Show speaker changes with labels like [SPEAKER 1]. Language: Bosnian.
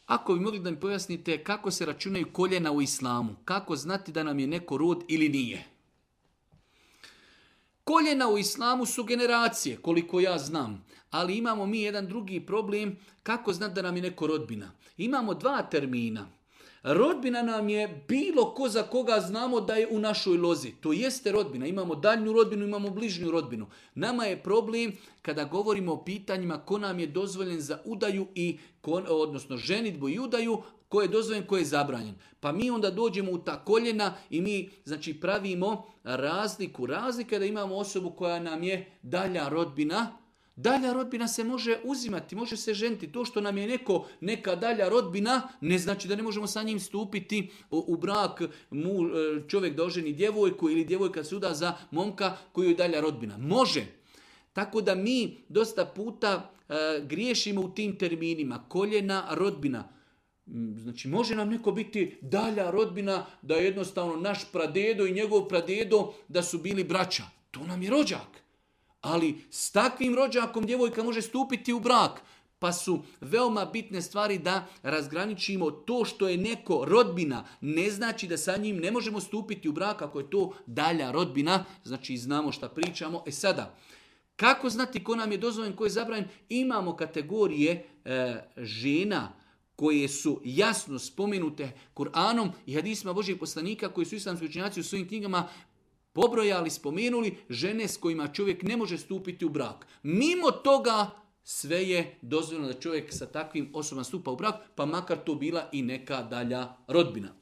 [SPEAKER 1] Ako bi mogli da mi pojasnite kako se računaju koljena u islamu, kako znati da nam je neko rod ili nije? Koljena u islamu su generacije, koliko ja znam, ali imamo mi jedan drugi problem, kako znati da nam je neko rodbina. Imamo dva termina. Rodbina nam je bilo ko za koga znamo da je u našoj lozi. To jeste rodbina. Imamo daljnju rodbinu, imamo bližnju rodbinu. Nama je problem kada govorimo o pitanjima ko nam je dozvoljen za udaju odnosno ženidbu i udaju, ko je dozvoljen, ko je zabranjen. Pa mi onda dođemo u ta koljena i mi pravimo razliku. Razlika je da imamo osobu koja nam je dalja rodbina. Dalja rodbina se može uzimati, može se ženiti. To što nam je neka dalja rodbina ne znači da ne možemo sa njim stupiti u brak. Čovjek da oženi djevojku ili djevojka se uda za momka koji je dalja rodbina. Može. Tako da mi dosta puta griješimo u tim terminima. Koljena, rodbina. Znači može nam neko biti dalja rodbina da je jednostavno naš pradedo i njegov pradedo da su bili braća. To nam je rođak. Ali s takvim rođakom djevojka može stupiti u brak. Pa su veoma bitne stvari da razgraničimo to što je neko rodbina. Ne znači da sa njim ne možemo stupiti u brak ako je to dalja rodbina. Znači znamo šta pričamo. Sada, kako znati ko nam je dozvoljen, ko je zabranjen? Imamo kategorije žena koje su jasno spomenute Kur'anom i hadisima Božijeg poslanika koji su islamski učenjaci u svojim knjigama pobrojali, spomenuli žene s kojima čovjek ne može stupiti u brak. Mimo toga sve je dozvoljeno da čovjek sa takvim osobama stupa u brak, pa makar to bila i neka dalja rodbina.